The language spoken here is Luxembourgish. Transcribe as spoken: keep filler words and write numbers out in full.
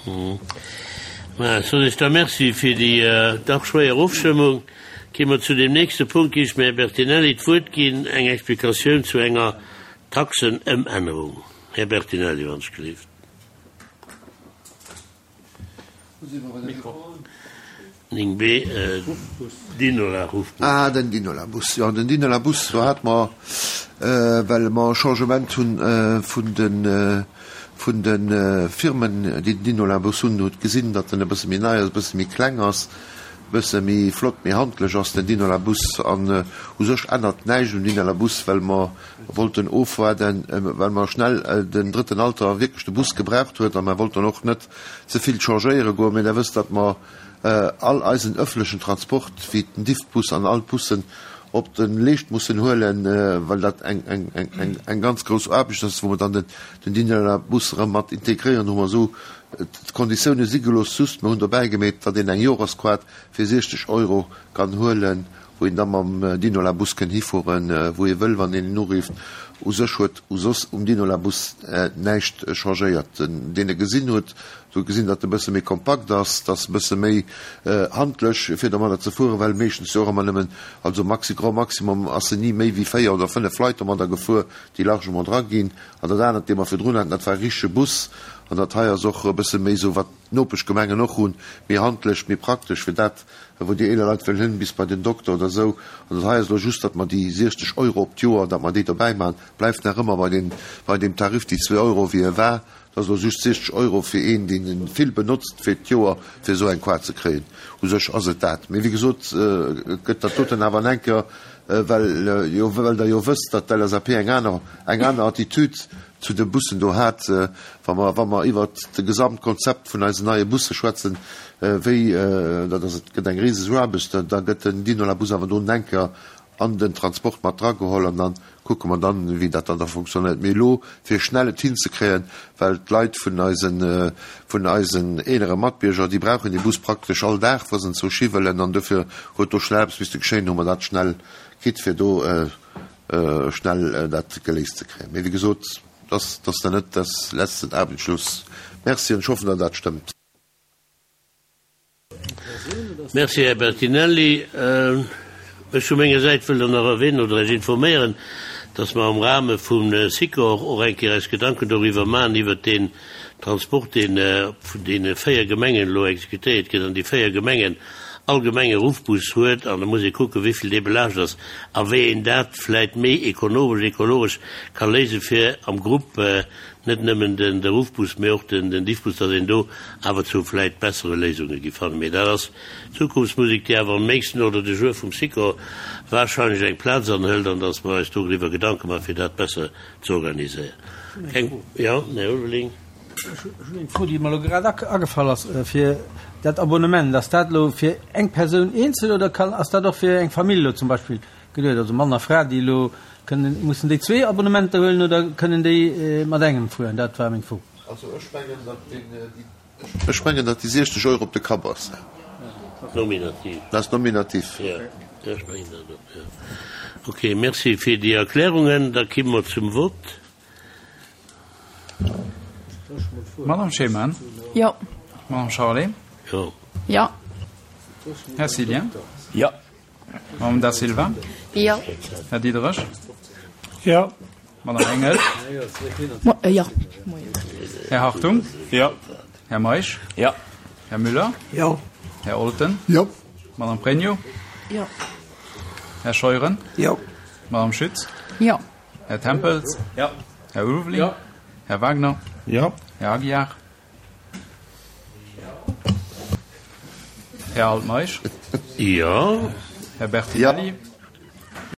Mä soen ech da Merci fir déi dach schwéier Ofstëmmung. Gi mer zu deem nächste Punkt, géif ech dem Här Bertinelli d'Wuert ginn, eng Explikatioun zu enger Taxenëmännerung. Här Bertinelli, wann ech gelift. Néng B, Dinola-Ruffbus. Ah, den Dinola-Bus, jo, den Dinola-Bus, do hate mer, well mer e Changement hunn vun de, vun de Firmen, déi den Dinola-Bus hunn, hutt gesinn, datt en e bësse méi nei ass, e bësse méi kleng ass, e bësse méi flott, méi handlech ass, den Dinola-Bus. An u sech ännert näischt um Dinola-Bus, well mer wollten ofwaarden, well mer schnell den Drëtten Alter wierklech de Bus gebraucht huet a mer wollten och net ze vill changéiere goen. Mee Der wësst, datt mer all eisen öffentlechen Transport, wéi den Diffbus an all d'Bussen, op de Leescht mussen huelen, well dat eng ganz grouss Aarbecht ass, wou mer dann den Dinola-Bus erëm mat integréieren, hu mer esou d'Konditioune si gelooss. Just mer hunn dobäi gemeet, datt een eng Joresquart fir siechzeg Euro kann huelen, wou een da mam Dinola-Bus kënn hifueren, wou ee wëll, wann een en urifft. U sech huet u soss um Dinola-Bus näischt changéiert. Deen e gesinn huet, huet gesinn, datt e bësse méi kompakt ass, datt e bësse méi handlech fir domadder ze fueren, well meeschtens jo och ëmmer nëmmen, also maxi, grand maximum ass en ni méi wéi véier oder fënnef Leit domadder gefuer, déi largement dra ginn. An dat anert, dee mer virdrun haten, dat war e richtege Bus. An dat hei ass och e bësse méi esou, wat d'Nopeschgemengen och hunn, méi handlech, méi praktesch fir dat, wou déi eeler Leit wëllen hin, bis bei den Dokter oder esou. An dat hei ass elo just, datt mer déi siechzeg Euro op d'Joer, datt mer déi dobäi maachen, bleift nach ëmmer bei deem, bei deem Tarif, déi zwee Euro, wéi e war. Dat ass elo just siechzeg Euro fir een, deen e vill benotzt, fir d'Joer, fir esou eng Kaart ze kréien. U sech ass et dat. Mee wéi gesot, et gëtt dat doten awer en enker, well jo, well Der jo wësst, datt d'LSAP eng aner, eng aner Attitude zu de Bussen do hat, wa mer, wa mer iwwert de Gesamtkonzept vun eisen neie Busse schwätzen, wéi, dat ass, et gëtt eng riseg Aarbecht, da gëtt den Dinola-Bus awer do en enker an den Transport mat drageholl an da kucke mer dann, wéi dat dann da funktionéiert. Mee elo, fir schnell et hinzekréien, well d'Leit vun eisen, vun eisen eelere Matbierger, déi brauchen dee Bus praktesch all Dag, wa se en zou Schi wëllen, an dofir huet do schnell eppes misste geschéien, hu mer dat schnell kritt, fir do schnell dat geléist ze kréien. Mee wéi gesot, das, das dann net das letzten Abendschluss. Merci an ech hoffen, datt dat stëmmt. Merci, Här Bertinelli. Ech vu menger Säit wëll dann nach erwähnen oder Iech informéieren, dass mer am Rahme vum Sikor och eng Kéier eis Gedanken doriwwer maachen, iwwert deen Transport, deen vun deene véier Gemengen elo exekutéiert gëtt, an déi véier Gemengen all Gemeng e Ruffbus huet, an da muss ee kucken, wéi vill dee belaascht ass a wéi een dat vläit méi ekonomesch, ekologesch ka léisen, fir am Grupp net nëmmen den de Ruffbus, mee och den den Diffbus, datt een do awer zu vläit bessere Léisunge gi fannen. Mee dat ass Zukunftsmusik, déi awer am nächsten Ordre du jour vum Sikor wahrscheinlech eng Plaz anhëlt, an datt mer eis doriwwer Gedanke maachen, fir dat besser ze organiséieren. Keng, jo, Här Ulveling. Ech hunn eng Fro, déi mer elo grad agefall ass, fir dat Abonnement, ass dat elo fir eng Persoun eenzel oder kann, ass dat och fir eng Famill elo zum Beispill geduet, also Mann a Fra, déi elo kënnen, mussen déi zwee Abonnementer huelen oder kënnen déi mat engem fueren? Dat war meng Fro. Also ech mengen, datt deen, déi, ech mengen, datt déi siechzeg Euro op de Kapp ass. Nominativ. Dat ass nominativ. Jo, ech mengen dat och, jo. Okay, merci fir déi Erklärungen. Da komme mer zum Vott. Madame Schemann. Jo. Madame Charlé. Jo. Jo. Här Cillien. Jo. Madame Da Silva. Jo. Här Diderich. Jo. Madame Engel. Jo. Här Hartung. Jo. Här Meisch. Jo. Här Müller. Jo. Här Olten. Jo. Madame Pregno. Jo. Här Scheuren. Jo. Madame Schütz. Jo. Här Tempels. Jo. Här Ulveling. Jo. Här Wagner. Jo. Här Aguiar. Här Altmeisch. Jo. Här Bertinelli. Jo.